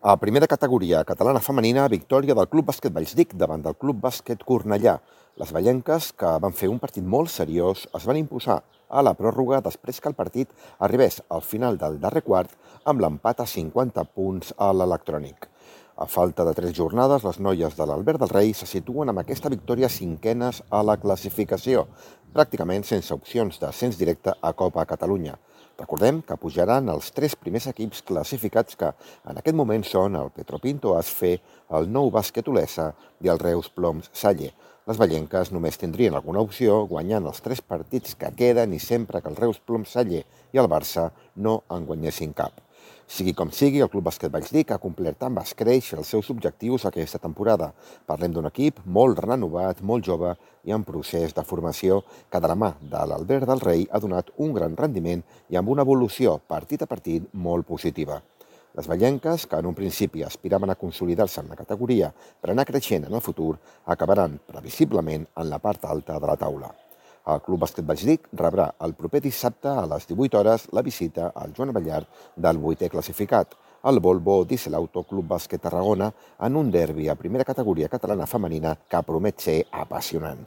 A primera categoria catalana femenina, victòria del Club Bàsquet Vallsdic davant del Club Bàsquet Cornellà. Les vallenques, que van fer un partit molt seriós, es van imposar a la pròrroga després que el partit arribés al final del darrer quart amb l'empat a 50 punts a l'electrònic. A falta de 3 jornades, les noies de l'Albert del Rei se situen amb aquesta victòria cinquenes a la classificació, pràcticament sense opcions d'ascens directe a Copa Catalunya. Recordem que pujaran els 3 primers equips classificats que en aquest moment són el Petropinto Asfe, el Nou Bàsquet Olesa i el Reus Ploms Salle. Les vallenques només tindrien alguna opció guanyant els 3 partits que queden i sempre que el Reus Ploms Salle i el Barça no en guanyessin cap. Sigui com sigui, el Club Bàsquet Vallsdic ha complert amb escreix els seus objectius aquesta temporada. Parlem d'un equip molt renovat, molt jove i en procés de formació que de la mà de l'Albert del Rei ha donat un gran rendiment i amb una evolució partit a partit molt positiva. Les vallenques, que en un principi aspiraven a consolidar-se en la categoria per anar creixent en el futur, acabaran previsiblement en la part alta de la taula. El Club Bàsquet Vallsdic rebrà el proper dissabte a les 18 hores la visita al Joan Ballard del 8è classificat, el Volvo Dieselauto Club Bàsquet Tarragona, en un derbi a primera categoria catalana femenina que promet ser apassionant.